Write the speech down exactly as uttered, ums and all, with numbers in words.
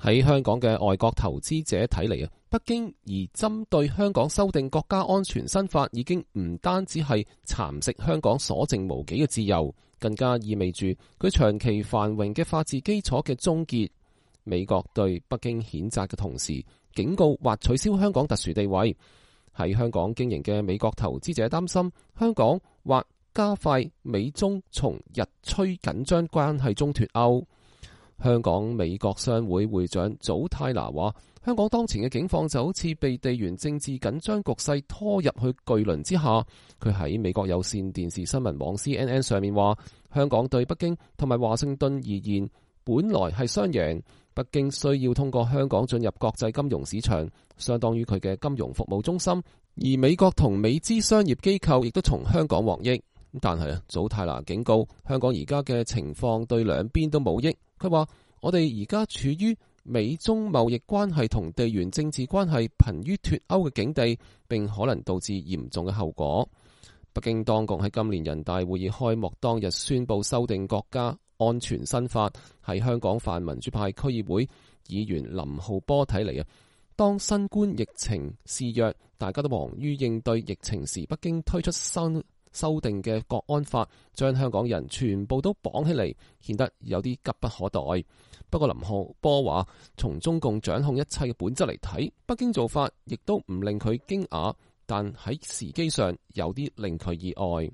喺香港嘅外國投資者睇嚟啊，北京而針對香港修訂國家安全新法，已經唔單止係蠶食香港所剩無幾嘅自由，更加意味住佢長期繁榮嘅法治基礎嘅終結。美國對北京譴責嘅同時，警告或取消香港特殊地位。喺香港經營嘅美國投資者擔心，香港或加快美中從日趨緊張關係中脫歐。香港美國商會會長祖泰拿話，香港當前嘅境況就好似被地緣政治緊張局勢拖入去巨輪之下。佢喺美國有線電視新聞網 C N N 上面話，香港對北京同埋華盛頓而言本來係雙贏，北京需要通過香港進入國際金融市場，相當於佢嘅金融服務中心，而美國同美資商業機構亦都從香港獲益。但係啊，祖泰拿警告，香港而家嘅情況對兩邊都冇益。佢話，我哋而家處於美中貿易關係同地緣政治關係瀕於脫歐嘅境地，並可能導致嚴重嘅後果。北京當局喺今年人大會議開幕當日宣布修訂國家安全新法，喺香港泛民主派區議會議員林浩波睇嚟啊，當新冠疫情肆虐，大家都忙於應對疫情時，北京推出新修訂嘅國安法，將香港人全部都綁起嚟，顯得有啲急不可待。不過林浩波話，從中共掌控一切嘅本質嚟睇，北京做法亦都唔令佢驚訝，但喺時機上有啲令佢意外。